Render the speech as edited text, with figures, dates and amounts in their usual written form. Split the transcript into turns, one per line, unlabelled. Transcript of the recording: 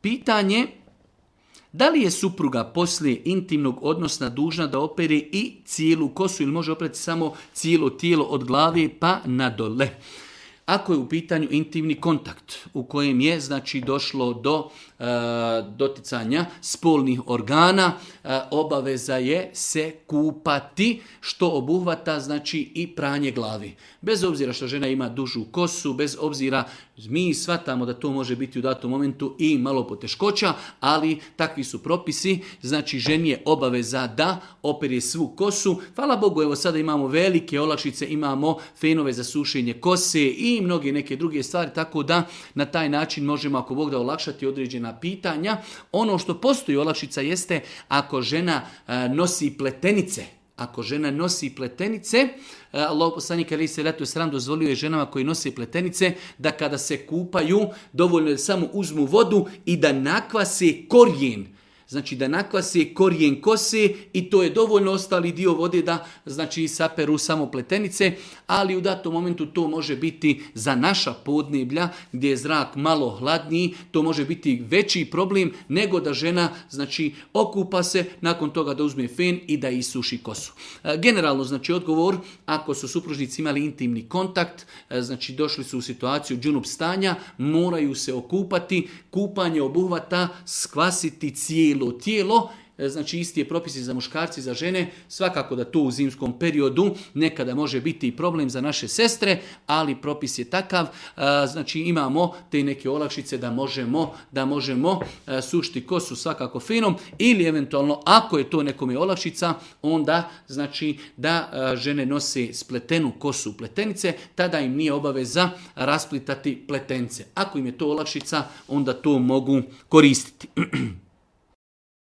Pitanje, da li je supruga poslije intimnog odnosa dužna da opere i cijelu kosu ili može operati samo cijelo tijelo od glave pa nadole? Ako je u pitanju intimni kontakt u kojem je znači došlo do doticanja spolnih organa, obaveza je se kupati, što obuhvata znači i pranje glavi. Bez obzira što žena ima dužu kosu, bez obzira, mi shvatamo da to može biti u datom momentu i malo poteškoća, ali takvi su propisi, znači ženi je obaveza da opere svu kosu. Hvala Bogu, evo sada imamo velike olakšice, imamo fenove za sušenje kose i mnoge neke druge stvari, tako da na taj način možemo, ako Bog da, olakšati određena pitanja. Ono što postoji olakšica jeste ako žena nosi pletenice. Ako žena nosi pletenice, Allah poslanik alejhi selatu vesselam dozvolio je ženama koji nose pletenice da kada se kupaju dovoljno da samo uzmu vodu i da nakvase korijen. Znači da nakvase korijen kose i to je dovoljno, ostali dio vode da znači saperu samo pletenice, ali u datom momentu to može biti za naša podneblja gdje je zrak malo hladniji, to može biti veći problem nego da žena znači okupa se, nakon toga da uzme fen i da isuši kosu. Generalno znači odgovor, ako su supružnici imali intimni kontakt, znači došli su u situaciju džunup stanja, moraju se okupati, kupanje obuhvata skvasiti cijelo tijelo, znači isti je propisi za muškarci i za žene, svakako da to u zimskom periodu nekada može biti i problem za naše sestre, ali propis je takav, znači imamo te neke olakšice da možemo sušiti kosu svakako fenom, ili eventualno ako je to nekome olakšica, onda znači da žene nose spletenu kosu pletenice, tada im nije obaveza rasplitati pletence. Ako im je to olakšica, onda to mogu koristiti.